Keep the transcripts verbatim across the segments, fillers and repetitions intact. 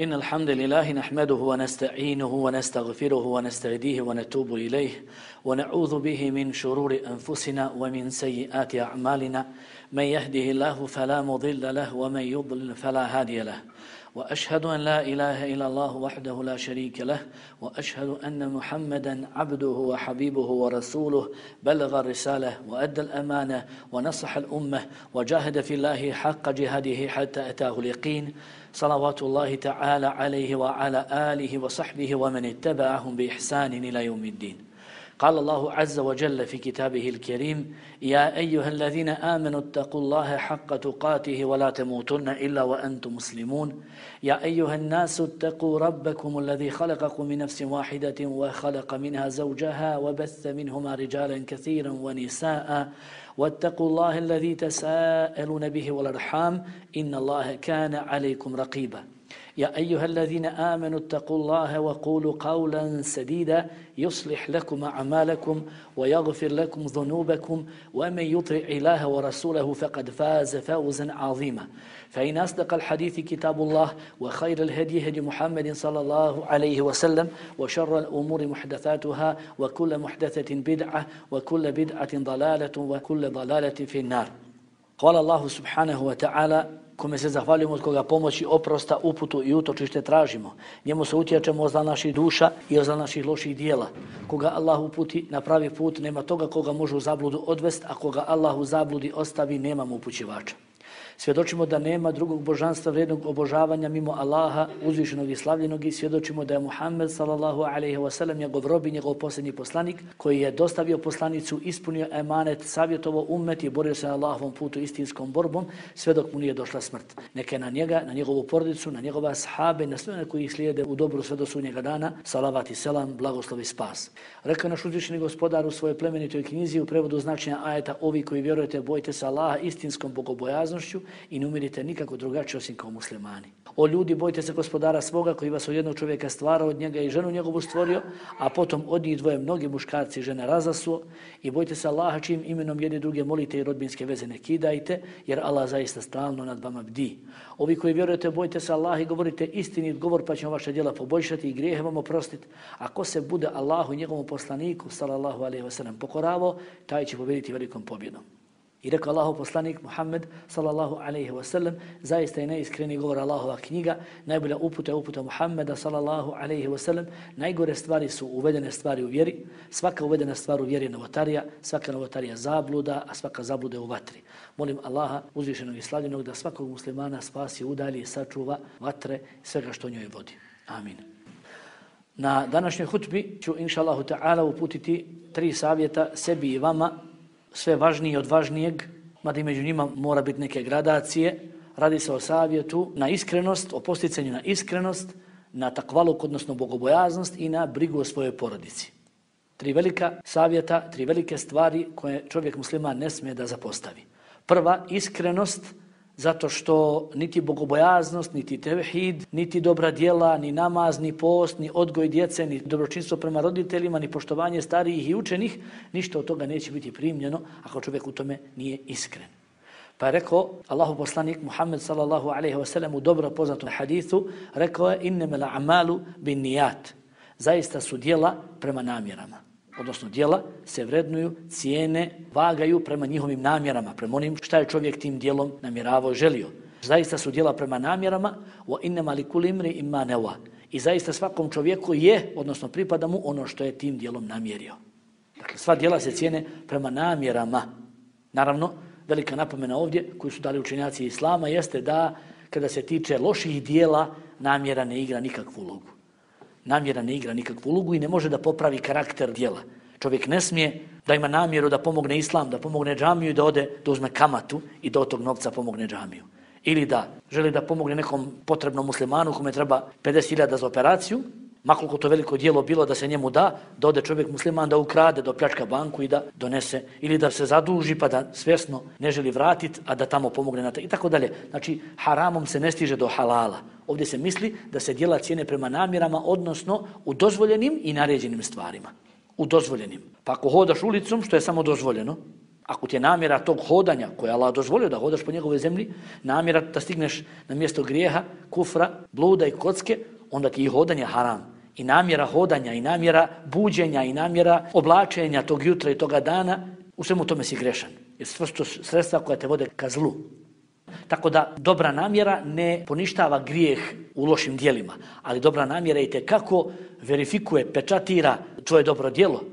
إن الحمد لله نحمده ونستعينه ونستغفره ونستهديه ونتوب إليه ونعوذ به من شرور أنفسنا ومن سيئات أعمالنا من يهده الله فلا مضل له ومن يضلل فلا هادي له وأشهد أن لا إله إلا الله وحده لا شريك له وأشهد أن محمدا عبده وحبيبه ورسوله بلغ الرسالة وأدى الأمانة ونصح الأمة وجاهد في الله حق جهاده حتى أتاه اليقين صلوات الله تعالى عليه وعلى آله وصحبه ومن اتبعهم بإحسان إلى يوم الدين. قال الله عز وجل في كتابه الكريم: يا أيها الذين آمنوا اتقوا الله حق تقاته ولا تموتن إلا وأنتم مسلمون. يا أيها الناس اتقوا ربكم الذي خلقكم من نفس واحدة وخلق منها زوجها وبث منهما رجالا كثيرا ونساء واتقوا الله الذي تساءلون به والأرحام إن الله كان عليكم رقيبا. يا أيها الذين آمنوا اتقوا الله وقولوا قولا سديدا يصلح لكم أعمالكم ويغفر لكم ذنوبكم ومن يطع الله ورسوله فقد فاز فوزا عظيما. فإن أصدق الحديث كتاب الله وخير الهدي هدي محمد صلى الله عليه وسلم وشر الأمور محدثاتها وكل محدثة بدعة وكل بدعة ضلالة وكل ضلالة في النار. قال الله سبحانه وتعالى: kome se zahvaljujemo, od koga pomoći, oprosta, uputu i utočište tražimo. Njemu se utječemo od zla naših duša i od zla naših loših dijela. Koga Allah uputi na pravi put, nema toga koga može u zabludu odvest, a koga Allah u zabludi ostavi, nema mu upućivača. Svjedočimo da nema drugog božanstva vrijednog obožavanja mimo Allaha, uzvišenog i slavljenog, i svjedočimo da je Muhammed sallallahu alejhi ve sellem njegov rob i njegov posljednji poslanik, koji je dostavio poslanicu, ispunio emanet, savjetovao ummet i borio se na Allahovom putu istinskom borbom sve dok mu nije došla smrt. Neka na njega, na njegovu porodicu, na njegove ashabe, na sve one koji ih slijede u dobru sve do sudnjega dana, salavat i selam, blagoslov i spas. Rekao naš uzvišeni gospodar u svojoj plemenitoj knjizi u prevodu značenja ajeta: ovi koji vjerujete, bojte se Allaha istinskom bogobojaznošću i ne umirite nikako drugačije osim kao muslimani. O ljudi, bojte se gospodara svoga koji vas od jednog čovjeka stvara, od njega i ženu njegovu stvorio, a potom od njih dvoje mnogi muškarci i žene razasuo, i bojte se Allaha čijim imenom jedni druge molite i rodbinske veze ne kidajte, jer Allah zaista stalno nad vama bdi. Ovi koji vjerujete, bojte se Allaha i govorite istinit govor, pa ćemo vaše djela poboljšati i grijehe vam oprostiti. A ko se bude Allahu i njegovom poslaniku sallallahu alejhi ve sellem pokoravao, taj će pobijediti velikom pobjedom. I rekao Allahov poslanik Muhammed sallallahu alejhi ve sellem: zaista je neiskreni govor Allahova knjiga, najbolja uputa je uputa Muhammeda sallallahu alejhi ve sellem. Najgore stvari su uvedene stvari u vjeri. Svaka uvedena stvar u vjeri je novotarija, svaka novotarija zabluda, a svaka zabluda je u vatri. Molim Allaha uzvišenog i slavljenog da svakog muslimana spasi, udalji i sačuva vatre i svega što njoj vodi. Amin. Na današnjoj hutbi ću inša Allahu ta'ala uputiti tri savjeta sebi i vama, sve važnije od važnijeg, mada i među njima mora biti neke gradacije. Radi se o savjetu na iskrenost, o posticanju na iskrenost, na takvaluk, odnosno bogobojaznost, i na brigu o svojoj porodici. Tri velika savjeta, tri velike stvari koje čovjek musliman ne smije da zapostavi. Prva, iskrenost, zato što niti bogobojaznost, niti tevhid, niti dobra djela, ni namaz, ni post, ni odgoj djece, ni dobročinstvo prema roditeljima, ni poštovanje starijih i učenih, ništa od toga neće biti primljeno ako čovjek u tome nije iskren. Pa je rekao Allahu poslanik Muhammed sallallahu alejhi ve sellem u dobro poznatom hadithu, rekao je: innamal a'malu binniyat. Zaista su djela prema namjerama. Odnosno djela se vrednuju, cijene, vagaju prema njihovim namjerama, prema onim šta je čovjek tim djelom namjeravao i želio. Zaista su djela prema namjerama, wa innama likulli imri'in ma nawa. I zaista svakom čovjeku je, odnosno pripada mu ono što je tim djelom namjerio. Dakle, sva djela se cijene prema namjerama. Naravno, velika napomena ovdje koju su dali učenjaci islama jeste da kada se tiče loših djela, namjera ne igra nikakvu ulogu. Namjera ne igra nikakvu ulogu i ne može da popravi karakter djela. Čovjek ne smije da ima namjeru da pomogne islam, da pomogne džamiju i da ode, da uzme kamatu i da od tog novca pomogne džamiju. Ili da želi da pomogne nekom potrebnom muslimanu kome treba pedeset hiljada za operaciju, makoliko to veliko djelo bilo da se njemu da, da ode čovjek musliman da ukrade, da opljačka banku i da donese, ili da se zaduži pa da svjesno ne želi vratiti, a da tamo pomogne na to i tako dalje. Znači, haramom se ne stiže do halala. Ovdje se misli da se djela cijene prema namjerama, odnosno u dozvoljenim i naređenim stvarima. U dozvoljenim. Pa ako hodaš ulicom, što je samo dozvoljeno, Ako ti je namjera tog hodanja, koje je Allah dozvolio da hodaš po njegovoj zemlji, namjera da stigneš na mjesto grijeha, kufra, bluda i kocke, onda ti je hodanje haram. I namjera hodanja, i namjera buđenja, i namjera oblačenja tog jutra i toga dana, u svemu tome si grešan. Jer sve su to sredstva koja te vode ka zlu. Tako da dobra namjera ne poništava grijeh u lošim djelima, ali dobra namjera i tekako verifikuje, pečatira tvoje dobro djelo.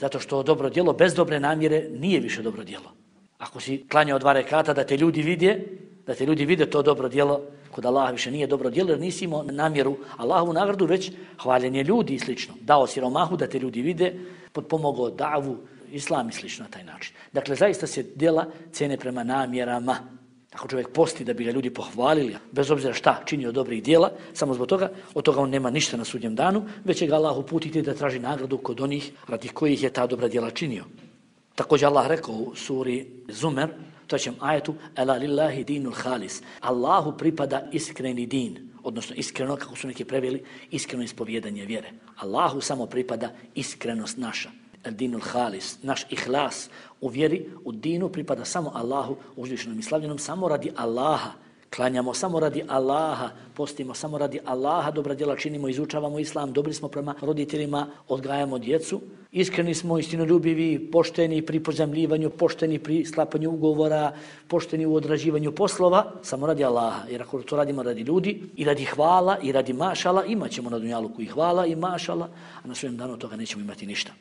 Zato što dobro djelo bez dobre namjere nije više dobro djelo. Ako si klanjao dva rekata da te ljudi vide, da te ljudi vide to dobro djelo, kod Allaha više nije dobro djelo jer nisi imao namjeru Allahovu nagradu, već hvaljenje ljudi i slično. Dao siromahu da te ljudi vide, potpomogao davu, islam i slično na taj način. Dakle, zaista se djela cijene prema namjerama. Ako čovjek posti da bi ga ljudi pohvalili, bez obzira šta činio dobrih djela, samo zbog toga, od toga on nema ništa na sudnjem danu, već će ga Allah uputiti da traži nagradu kod onih radi kojih je ta dobra djela činio. Također Allah rekao u suri Zumer, trećem ajetu, Ela lillahi dinul halis. Allahu pripada iskreni din, odnosno iskreno, kako su neki preveli, iskreno ispovjedanje vjere. Allahu samo pripada iskrenost naša. El dinul halis, naš ihlas u vjeri, u dinu pripada samo Allahu, uzvišenom i slavljenom, samo radi Allaha. Klanjamo samo radi Allaha, postimo samo radi Allaha, dobra djela činimo, izučavamo islam, dobri smo prema roditeljima, odgajamo djecu, iskreni smo, istinoljubivi, pošteni pri pozajmljivanju, pošteni pri sklapanju ugovora, pošteni u odrađivanju poslova, samo radi Allaha. Jer ako to radimo radi ljudi i radi hvala i radi mašala, imat ćemo na dunjaluku i hvala i mašala, a na svojem danu toga nećemo imati ništa.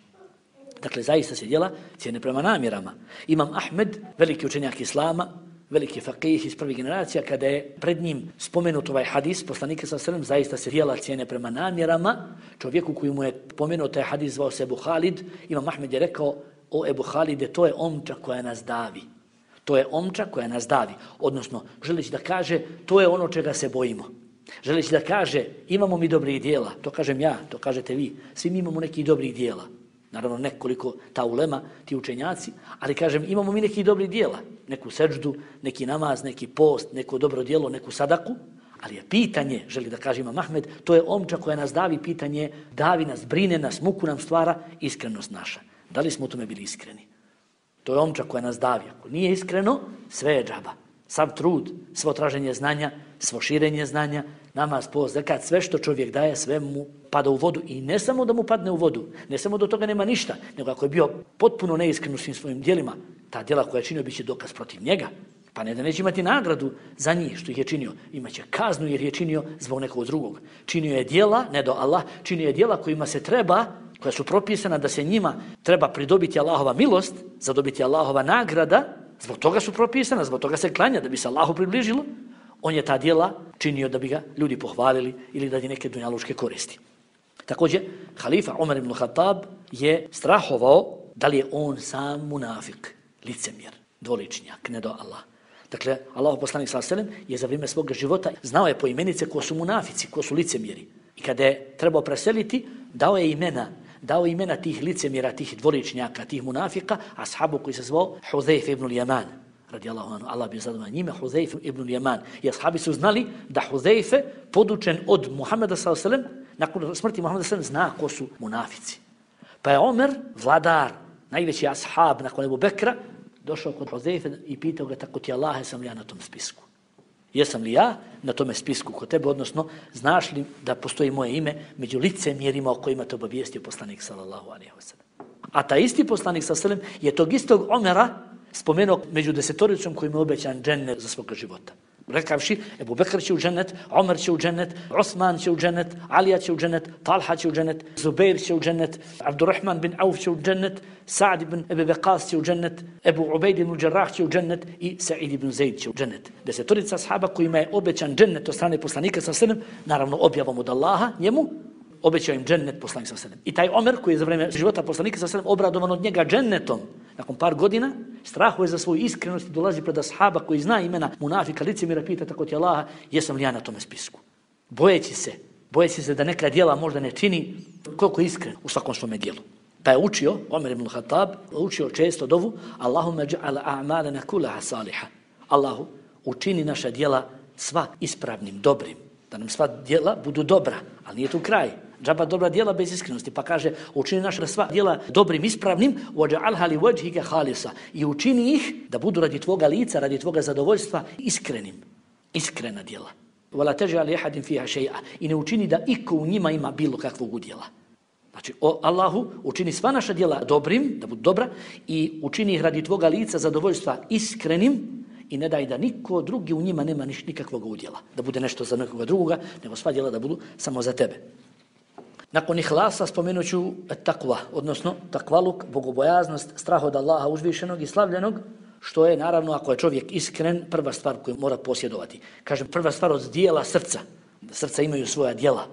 Dakle, zaista se djela cijene prema namjerama. Imam Ahmed, veliki učenjak islama, veliki faqih iz prvih generacija, kada je pred njim spomenut ovaj hadis, poslanika sallallahu alejhi ve sellem, zaista se djela cijene prema namjerama. Čovjeku koji mu je pomenuo taj hadis zvao se Ebu Halid, Imam Ahmed je rekao, o Ebu Halide, to je omča koja nas davi. To je omča koja nas davi. Odnosno, želeći da kaže, to je ono čega se bojimo. Želeći da kaže, imamo mi dobrih djela, to kažem ja, to kažete vi, svi mi imamo nekih dobrih djela. Naravno, nekoliko ta ulema, ti učenjaci, ali kažem, imamo mi nekih dobrih djela, neku seđdu, neki namaz, neki post, neko dobro djelo, neku sadaku, ali je pitanje, želi da kaže Imam Ahmed, to je omča koja nas davi, pitanje, davi nas, brine nas, muku nam stvara, iskrenost naša. Da li smo u tome bili iskreni? To je omča koja nas davi. Ako nije iskreno, sve je džaba. Sav trud, svo traženje znanja, svo širenje znanja, namaz, post, zekat, sve što čovjek daje, sve mu pada u vodu. I ne samo da mu padne u vodu, ne samo do toga nema ništa, nego ako je bio potpuno neiskren u svim svojim djelima, ta djela koja je činio biće dokaz protiv njega. Pa ne da neće imati nagradu za njih što ih je činio, imaće kaznu jer je činio zbog nekog drugog. Činio je djela, ne do Allah, činio je djela kojima se treba, koja su propisana da se njima treba pridobiti Allahova milost, zadobiti Allahova nagrada, zbog toga su propisana, zbog toga se klanja da bi se Allahu približilo. On je ta djela činio da bi ga ljudi pohvalili ili da di neke dunjalučke koristi. Također, halifa Umar ibn Khattab je strahovao da li je on sam munafik, licemjer, dvoličnjak, ne do Allah. Dakle, Allahu poslanik sallallahu alejhi ve sellem je za vrijeme svog života znao je po imenice ko su munafici, ko su licemjeri. I kada je trebao preseliti, dao je imena, dao je imena tih licemjera, tih dvoličnjaka, tih munafika, ashabu koji se zvao Hudhejf ibn Ljaman. Radijallahu anhu, Allah bi zadovoljan njime, Hudhejf ibn Ljaman. I ashabi su znali da Hudhejfe, podučen od Muhameda sallallahu alejhi ve sellem, nakon smrti Muhameda sallallahu alejhi ve sellem, zna ko su munafici. Pa je Omer, vladar, najveći ashab nakon Ebu Bekra, došao kod Hudhejfe i pitao ga, tako ti Allah, jesam li ja na tom spisku? Jesam li ja na tome spisku kod tebe, odnosno znaš li da postoji moje ime među licemjerima o kojima te obavijestio poslanik sallallahu alejhi ve sellem. A ta isti poslanik sallallahu alejhi ve sellem je tog istog Omera spomenuo među desetoricom kojim je obećan džennet za svoga života. Rekavši, Ebu Bekr će u džennet, Omer će u džennet, Osman će u džennet, Alija će u džennet, Talha će u džennet, Zubair će u džennet, Abdurrahman bin Auf će u džennet, Sa'd ibn Ebi Veqas će u džennet, Ebu Ubejd ibn Đerrah će u džennet i Sa'id ibn Zaid će u džennet. Desetorica ashaba kojima je obećan džennet od strane poslanika sallallahu alejhi ve sellem, naravno objavom od Allaha, njemu, obećao im džennet poslanik sallallahu alejhi ve sellem. I taj Omer koji je za vrijeme života poslanika sallallahu alejhi ve sellem obradovan od njega džennetom, nakon par godina strahuje za svoju iskrenost i dolazi pred ashaba koji zna imena munafika, licemjera, pita tako ti Allaha, jesam li ja na tome spisku? Bojeći se, bojeći se da neka djela možda ne čini koliko je iskren u svakom svome djelu. Pa je učio, Omer ibn Khattab, učio često dovu, Allahumma ja'al a'malana kullaha saliha. Allahu, učini naša djela sva ispravnim, dobrim. Da nam sva djela budu dobra, ali nije tu kraj. Džaba dobra djela bez iskrenosti. Pa kaže, učini naša sva djela dobrim, ispravnim, وَجَعَلْهَا لِوَجْهِكَ خَالِصًا, i učini ih da budu radi tvoga lica, radi tvoga zadovoljstva iskrenim. Iskrena djela. وَلَا تَجْعَلْ يَحَدٍ فِيهَا شَيْئًا, i ne učini da iko u njima ima bilo kakvog udjela. Znači, o Allahu, učini sva naša djela dobrim, da budu dobra, i učini ih radi tvoga lica, zadovoljstva iskrenim, i ne daj da niko drugi u njima nema niš, nikakvog udjela. Da bude nešto za nekoga drugoga, nego sva djela da budu samo za tebe. Nakon ihlasa spomenut ću takva, odnosno takvaluk, bogobojaznost, strah od Allaha uzvišenog i slavljenog, što je, naravno, ako je čovjek iskren, prva stvar koju mora posjedovati. Kažem, prva stvar od dijela srca. Srca imaju svoja djela.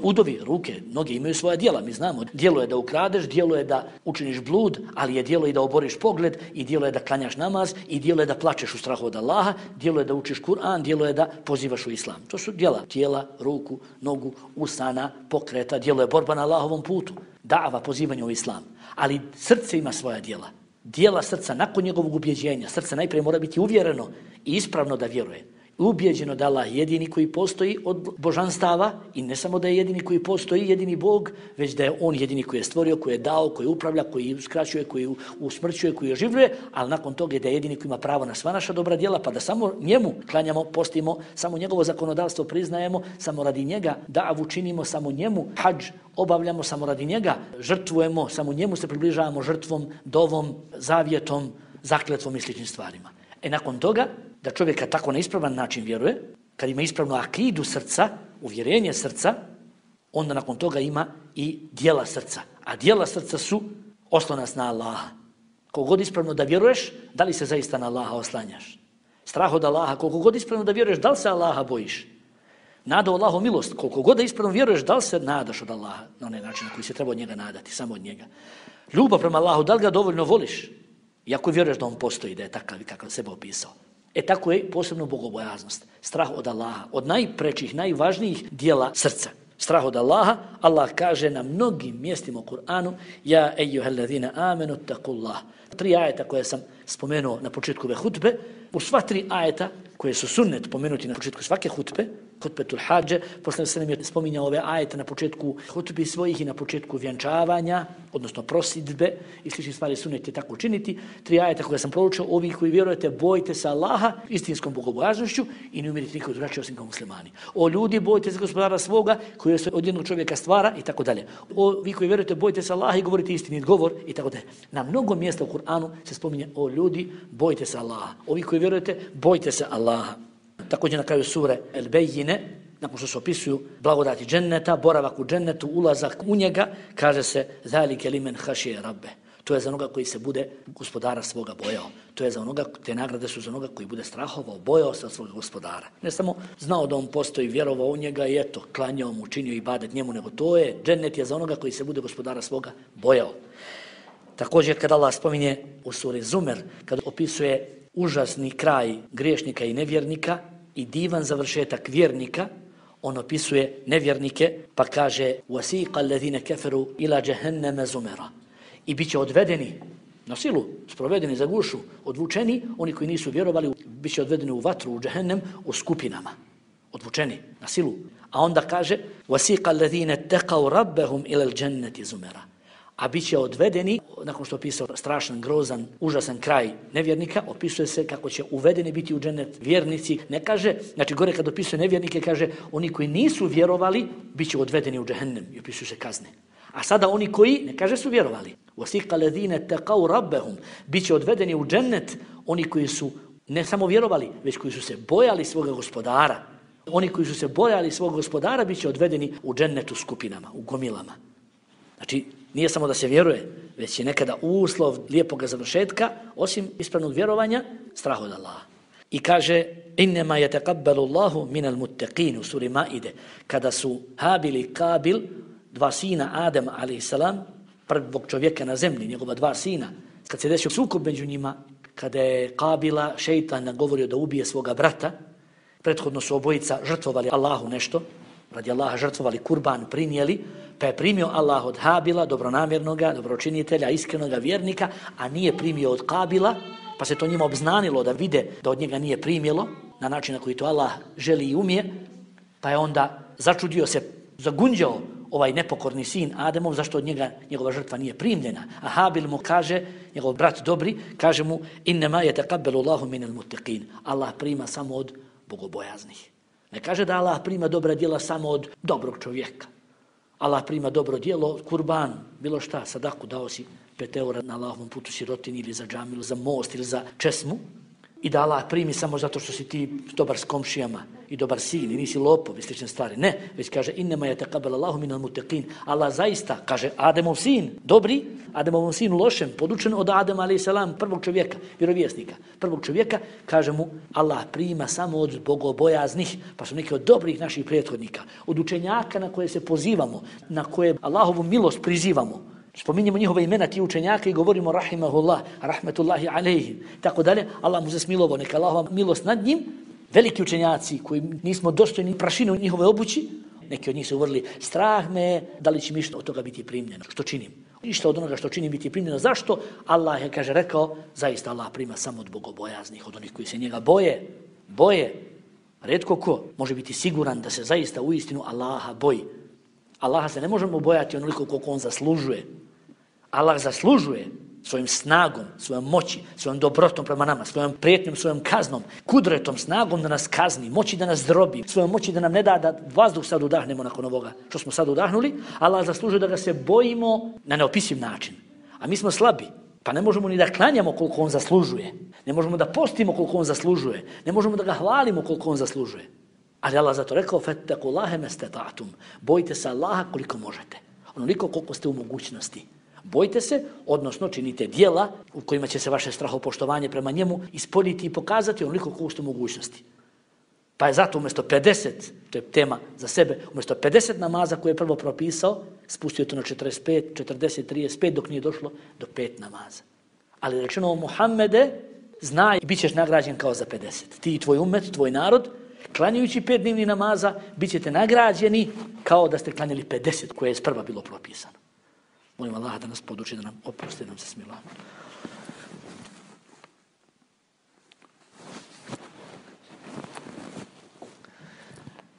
Udovi, ruke, noge imaju svoja djela. Mi znamo, djelo je da ukradeš, djelo je da učiniš blud, ali je djelo i da oboriš pogled, i djelo je da klanjaš namaz, i djelo je da plačeš u strahu od Allaha, djelo je da učiš Kur'an, djelo je da pozivaš u Islam. To su djela. Tijela, ruku, nogu, usana, pokreta, djelo je borba na Allahovom putu. Dava, pozivanje u Islam. Ali srce ima svoja djela. Djela srca nakon njegovog ubjeđenja. Srce najprije mora biti uvjereno i ispravno da vjeruje. Ubijeđeno da Allah jedini koji postoji od božanstava, i ne samo da je jedini koji postoji, jedini Bog, već da je On jedini koji je stvorio, koji je dao, koji upravlja, koji uskraćuje, koji usmrćuje, koji oživljuje, ali nakon toga je da je jedini koji ima pravo na sva naša dobra djela, pa da samo njemu klanjamo, postimo, samo njegovo zakonodavstvo priznajemo, samo radi njega davu činimo, samo njemu hadž obavljamo, samo radi njega žrtvujemo, samo njemu se približavamo žrtvom, dovom, zavjetom, zakletvom i sličnim stvarima. E nakon toga, da čovjeka tako na ispravan način vjeruje, kad ima ispravnu akidu srca, uvjerenje srca, onda nakon toga ima i djela srca. A djela srca su oslonac na Allaha. Koliko god ispravno da vjeruješ, da li se zaista na Allaha oslanjaš? Strah od Allaha, koliko god ispravno da vjeruješ, da li se Allaha bojiš? Nada u Allahu milost, koliko god da ispravno vjeruješ, da li se nadaš od Allaha na onaj način na koji se treba od njega nadati, samo od njega? Ljubav prema Allahu, da li ga dovoljno voliš? Iako vjeruješ da on postoji, da je takav i kakav sebe opisao. E tako je posebno bogobojaznost, strah od Allaha, od najprečih, najvažnijih dijela srca. Strah od Allaha, Allah kaže na mnogim mjestima u Kur'anu: Ja ejuhellezine amenu takullah. Tri ajeta koje sam spomenuo na početku ove hutbe, u sva tri ajeta koje su sunnet pomenuti na početku svake hutbe, hutbetul hadže, posle se nam je spominjao ove ajete na početku hutbi svojih i na početku vjenčavanja, odnosno prosidbe i sličnih stvari sunnet je tako učiniti. Tri ajeta koje sam proučio, ovi koji vjerujete, bojte se Allaha istinskom bogobojaznošću i ne umirite nikog drugačije osim kao muslimani. O ljudi, bojte se gospodara svoga koji se od jednog čovjeka stvara i tako dalje. O vi koji vjerujete, bojte se Allaha i govorite istinit govor i tako dalje. Na mnogo mjesta u Kur'anu se spominje: o ljudi, bojte se Allaha. Ovi koji vjerujete, bojte se Allaha. Također na kraju sure El-Bejine, nakon što se opisuju blagodati dženneta, boravak u džennetu, ulazak u njega, kaže se: Zalike limen hašije rabbe. To je za onoga koji se bude gospodara svoga bojao. To je za onoga, te nagrade su za onoga koji bude strahovao, bojao se od svoga gospodara. Ne samo znao da on postoji, vjerovao u njega i eto, klanjao mu, činio ibadet njemu, nego to je, džennet je za onoga koji se bude gospodara svoga bojao. Također kada Allah spominje u suri Zumer, kada opisuje užasni kraj griješnika i nevjernika i divan završetak vjernika, on opisuje nevjernike pa kaže: وَسِيقَ الَّذِينَ كَفَرُوا إِلَى جَهَنَّمَ زُمَرًا. I bit će odvedeni na silu, sprovedeni za gušu, odvučeni, oni koji nisu vjerovali, bit će odvedeni u vatru, u džehennem, u skupinama. Odvučeni na silu. A onda kaže: وَسِيقَ الَّذِينَ اتَّقَوْا رَبَّهُمْ إِلَى الْجَنَّةِ زُمَرًا. A bit će odvedeni, nakon što opisao strašan, grozan, užasan kraj nevjernika, opisuje se kako će uvedeni biti u džennet vjernici. Ne kaže, znači gore kad opisuje nevjernike, kaže oni koji nisu vjerovali, bit će odvedeni u džehennem i opisuju se kazne. A sada oni koji, ne kaže su vjerovali, وَسِقَ الَّذِينَ تَقَوْا رَبَّهُمْ, bit će odvedeni u džennet oni koji su ne samo vjerovali, već koji su se bojali svoga gospodara. Oni koji su se bojali svog gospodara bit će odvedeni u džennetu skupinama, u gomilama. Znači, nije samo da se vjeruje, već je nekada uslov lijepog završetka, osim ispravnog vjerovanja, strah od Allaha. I kaže: Innema yataqabbalu Allahu minal muttaqin u suri Maide, kada su Habil i Kabil, dva sina Adema alejhi selam, prvog čovjeka na zemlji, njegova dva sina, kad se desio sukob među njima, kada je Kabila šejtan nagovorio da ubije svoga brata, prethodno su obojica žrtvovali Allahu nešto, radi Allaha žrtvovali kurban, prinijeli, pa je primio Allah od Habila, dobronamjernoga, dobročinitelja, iskrenoga vjernika, a nije primio od Kabila, pa se to njima obznanilo da vide da od njega nije primjelo, na način na koji to Allah želi i umije, pa je onda začudio se, zagunđao ovaj nepokorni sin Ademov, zašto od njega njegova žrtva nije primljena. A Habil mu kaže, njegov brat dobri, kaže mu innema yataqabbalu Allahu minal muttaqin. Allah prima samo od bogobojaznih. Ne kaže da Allah prima dobra djela samo od dobrog čovjeka. Allah prima dobro djelo, kurban, bilo šta, sadaku, dao si pet eura na Allahovom putu sirotini ili za džamiju, za most ili za česmu. I da Allah primi samo zato što si ti dobar s komšijama i dobar sin i nisi lopov i slične stvari. Ne, već kaže innema yataqabbalu Allahu minal muttaqin. Allah zaista, kaže Ademov sin, dobri, Ademovom sinu lošem, podučen od Adema alejhi selam, prvog čovjeka, vjerovjesnika, prvog čovjeka, kaže mu Allah prima samo od bogobojaznih, pa su neki od dobrih naših prethodnika, od učenjaka na koje se pozivamo, na koje Allahovu milost prizivamo. Spominjemo njihove imena ti učenjaka i govorimo rahimahullah, rahmetullahi alejhi, tako dalje. Allah mu se smilovao, neka Allahova milost nad njim. Veliki učenjaci koji nismo dostojni prašine u njihove obući, neki od njih se uvrli, strah me, da li će mi što od toga biti primljeno, što činim. Ništa od onoga što činim biti primljeno. Zašto? Allah je, kaže, rekao, zaista Allah prima samo od bogobojaznih, od onih koji se njega boje, boje. Retko ko može biti siguran da se zaista u istinu Allaha boji. Allaha se ne možemo bojati onoliko koliko on zaslužuje. Allah zaslužuje svojim snagom, svojom moći, svojom dobrotom prema nama, svojom prijetnjom, svojom kaznom, kudretom, snagom da nas kazni, moći da nas drobi, svojom moći da nam ne da da vazduh sad udahnemo nakon ovoga što smo sad udahnuli. Allah zaslužuje da ga se bojimo na neopisiv način. A mi smo slabi, pa ne možemo ni da klanjamo koliko on zaslužuje. Ne možemo da postimo koliko on zaslužuje. Ne možemo da ga hvalimo koliko on zaslužuje. Ali Allah zato rekao, fattaqullaha mastata'tum. Bojte se Allaha koliko možete. Onoliko koliko ste u mogućnosti. Bojte se, odnosno činite djela u kojima će se vaše strahopoštovanje prema njemu ispoljiti i pokazati onoliko koliko ste u mogućnosti. Pa je zato umjesto pedeset, to je tema za sebe, umjesto pedeset namaza koje je prvo propisao, spustio to na četrdeset pet, četrdeset, trideset pet dok nije došlo do pet namaza. Ali rečeno Muhammede, znaj, bit ćeš nagrađen kao za pedeset. Ti i tvoj umet, tvoj narod, klanjajući pet dnevnih namaza, bit ćete nagrađeni kao da ste klanjali pedeset koje je sprva bilo propisano. Molim Allaha da nas poduči, da nam oprosti, da nam se smila.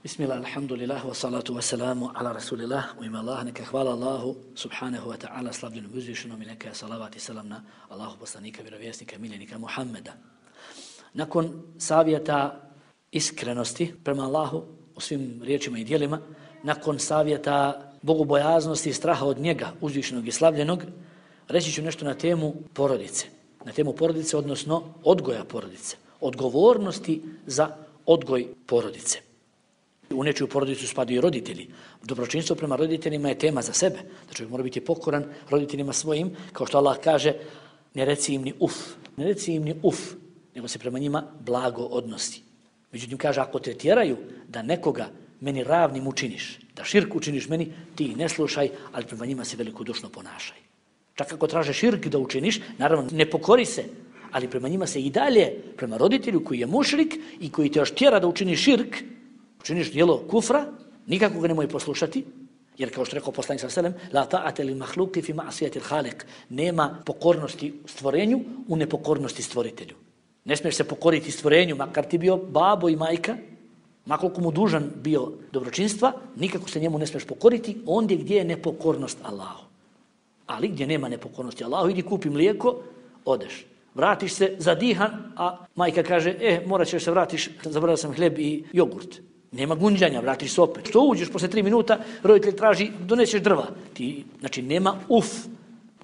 Bismillah, alhamdulillah, wa salatu wa salamu ala rasulillah, u ime Allah, neka hvala Allahu, subhanahu wa ta'ala, slavljenom uzvišenom i neka salavat i salam na Allahu poslanika, vjerovjesnika, miljenika Muhammeda. Nakon savjeta iskrenosti prema Allahu u svim riječima i djelima, nakon savjeta bogobojaznosti i straha od njega, uzvišenog i slavljenog, reći ću nešto na temu porodice. Na temu porodice, odnosno odgoja porodice. Odgovornosti za odgoj porodice. U nečiju porodicu spadaju i roditelji. Dobročinstvo prema roditeljima je tema za sebe. Da čovjek mora biti pokoran roditeljima svojim, kao što Allah kaže, ne reci im ni uf, ne reci im ni uf, nego se prema njima blago odnosi. Međutim, kaže, ako te tjeraju da nekoga meni ravnim učiniš, da širk učiniš meni, ti ne slušaj, ali prema njima se velikodušno ponašaj. Čak ako traže širk da učiniš, naravno ne pokori se, ali prema njima se i dalje, prema roditelju koji je mušrik i koji te još tjera da učiniš širk, učiniš djelo kufra, nikako ga nemoj poslušati, jer kao što rekao poslanik sallallahu alejhi ve sellem, la ta'ata lil makhluqi fi ma'siyati al-khaliq, nema pokornosti stvorenju u nepokornosti stvoritelju. Ne smiješ se pokoriti stvorenju, makar ti bio babo i majka, makoliko mu dužan bio dobročinstva, nikako se njemu ne smiješ pokoriti, ondje gdje je nepokornost Allahu. Ali gdje nema nepokornosti Allahu, idi kupi mlijeko, odeš. Vratiš se zadihan, a majka kaže, e, morat ćeš se vratiš, zaboravio sam hljeb i jogurt. Nema gunđanja, vratiš se opet. Što uđeš posle tri minuta, roditelj traži, doneseš drva. Ti, znači, nema uf.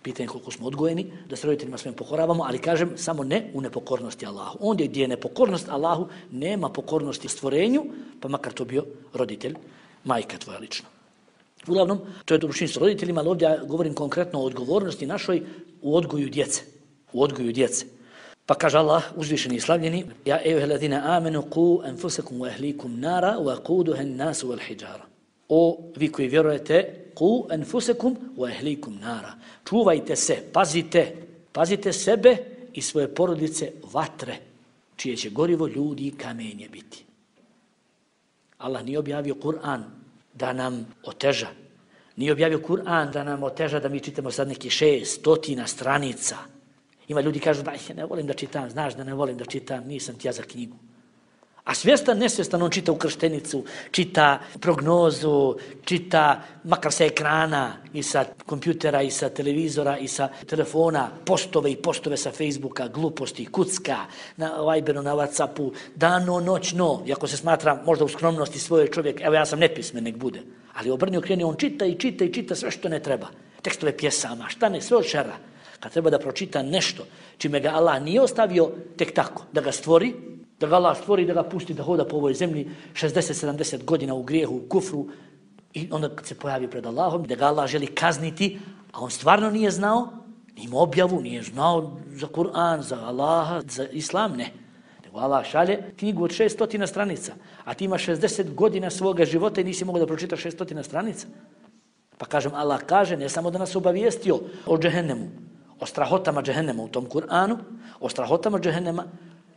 Pitanje koliko smo odgojeni, da se roditeljima svojim pokoravamo, ali kažem, samo ne u nepokornosti Allahu. Ondje gdje je nepokornost Allahu, nema pokornosti stvorenju, pa makar to bio roditelj, majka tvoja lično. Uglavnom, to je dobročinstvo roditeljima, ali ovdje ja govorim konkretno o odgovornosti našoj u odgoju djece. U odgoju djece. Pa kaže Allah, uzvišeni i slavljeni, ja ejuheladina amenu ku enfusekum wa ehlikum nara wa kuduhen nasu wal hijjara. O, vi koji vjerujete, ku enfusekum wa ehlikum nara. Čuvajte se, pazite, pazite sebe i svoje porodice vatre, čije će gorivo ljudi i kamenje biti. Allah nije objavio Kur'an da nam oteža. Nije objavio Kur'an da nam oteža da mi čitamo sad neki šest stotina stranica. Ima ljudi kažu da ja ne volim da čitam, znaš da ne volim da čitam, nisam ti ja za knjigu. A svjestan, nesvjestan, on čita ukrštenicu, čita prognozu, čita makar sa ekrana i sa kompjutera i sa televizora i sa telefona, postove i postove sa Facebooka, gluposti, kucka, na Viberu, na Whatsappu, dano, noćno, iako se smatra možda u skromnosti svoje čovjek, evo ja sam nepismen, nek bude. Ali obrni okreni, on čita i čita i čita sve što ne treba. Tekstove pjesama, šta ne, sve od šera. Kad treba da pročita nešto čime ga Allah nije ostavio tek tako, da ga stvori, da ga Allah stvori, da ga pusti da hoda po ovoj zemlji šezdeset sedamdeset godina u grijehu, u kufru i onda kad se pojavi pred Allahom, da ga Allah želi kazniti, a on stvarno nije znao, nije imao objavu, nije znao za Kur'an, za Allaha, za Islam, ne. Nego Allah šalje knjigu od šeststotina stranica, a ti imaš šezdeset godina svoga života i nisi mogao da pročitaš šeststotina stranica. Pa kažem, Allah kaže, ne samo da nas obavijestio o džehennemu, o strahotama džehennema u tom Kur'anu, o strahotama džehennema,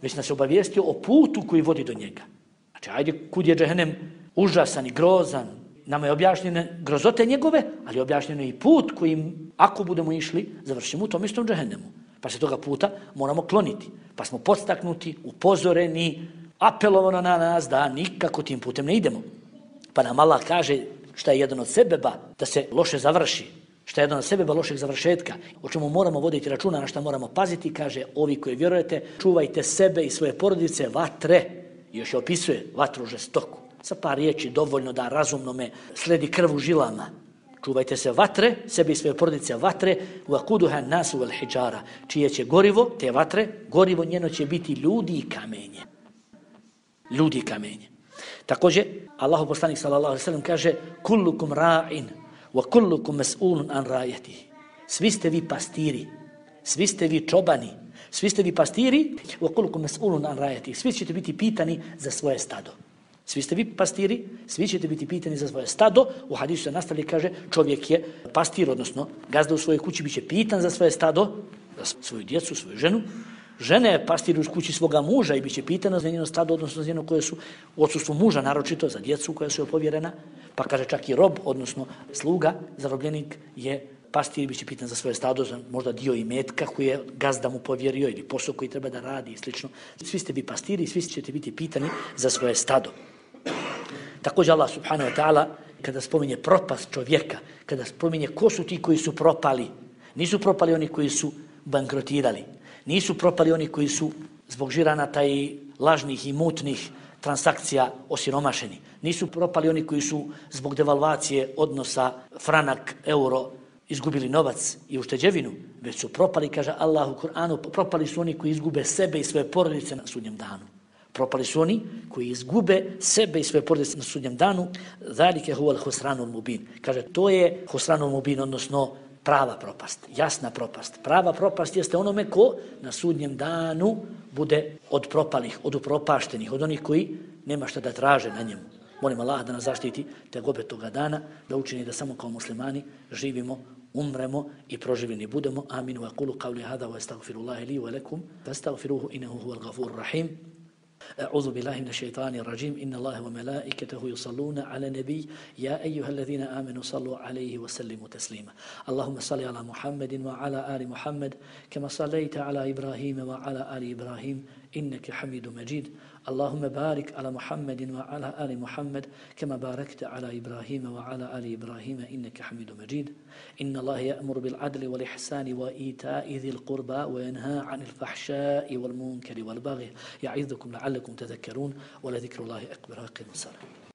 već nas obavijestio o putu koji vodi do njega. Znači, ajde, kud je džehennem užasan i grozan, nama je objašnjene grozote njegove, ali je objašnjeno i put kojim, ako budemo išli, završimo u tom istom džehennemu. Pa se toga puta moramo kloniti. Pa smo podstaknuti, upozoreni, apelovano na nas da nikako tim putem ne idemo. Pa nam Allah kaže šta je jedan od sebeba da se loše završi, šta je jedan od sebeba lošeg završetka, o čemu moramo voditi računa, na šta moramo paziti, kaže, ovi koji vjerujete, čuvajte sebe i svoje porodice vatre, i još je opisuje vatru žestoku. Sa par riječi dovoljno da razumno me sledi krv u žilama. Čuvajte se vatre, sebe i svoje porodice vatre, vakuduha nasu vel hijjara, čije će gorivo, te vatre, gorivo njeno će biti ljudi i kamenje. Ljudi i kamenje. Također, Allahu poslanik sallallahu alejhi ve sellem kaže: "Kullukum ra'in wa kullukum mas'ulun an ra'yatihi." Svi ste vi pastiri, svi ste vi čobani, svi ste vi pastiri, wa kullukum mas'ulun an ra'yatihi. Svi ćete biti pitani za svoje stado. Svi ste vi pastiri, svi ćete biti pitani za svoje stado. U hadisu se nastavlja i kaže, čovjek je pastir, odnosno gazda u svojoj kući biće pitan za svoje stado, za svoju djecu, svoju ženu. Žena je pastir u kući svoga muža i biće pitana za njeno stado, odnosno za njeno koje su u odsustvu muža, naročito za djecu koja su joj povjerena. Pa kaže čak i rob, odnosno sluga, zarobljenik je pastir i biće pitan za svoje stado, za možda dio imetka koji je gazda mu povjerio ili posao koji treba da radi i slično. Svi ste vi pastiri i svi ćete biti pitani za svoje stado. Također Allah subhanahu wa ta'ala, kada spominje propast čovjeka, kada spominje ko su ti koji su propali, nisu propali oni koji su bankrotirali, nisu propali oni koji su zbog žiranata i lažnih i mutnih transakcija osiromašeni, nisu propali oni koji su zbog devalvacije odnosa franak, euro izgubili novac i ušteđevinu, već su propali, kaže Allah u Kur'anu, propali su oni koji izgube sebe i svoje porodice na sudnjem danu. Propali su oni koji izgube sebe i svoje porodice na sudnjem danu. Zalike huwal husranul mubin. Kaže, to je husranul mubin, odnosno prava propast, jasna propast. Prava propast jeste onome ko na sudnjem danu bude od propalih, od upropaštenih, od onih koji nema šta da traže na njemu. Molim Allah da nas zaštiti te gobe toga dana, da učini da samo kao muslimani živimo, umremo i proživljeni budemo. Amin. Wa qulu qawli hada wa astaghfirullaha li wa lakum fastaghfiruhu innahu huwal ghafurur rahim. أعوذ بالله من الشيطان الرجيم إن الله وملائكته يصلون على النبي يا أيها الذين آمنوا صلوا عليه وسلموا تسليما اللهم صل على محمد وعلى آل محمد كما صليت على إبراهيم وعلى آل إبراهيم إنك حميد مجيد اللهم بارك على محمد وعلى آل محمد كما باركت على إبراهيم وعلى آل إبراهيم إنك حميد مجيد إن الله يأمر بالعدل والإحسان وإيتاء ذي القربى وينهى عن الفحشاء والمنكر والبغي يعظكم لعلكم تذكرون ولذكر الله أكبر. أقيموا الصلاة.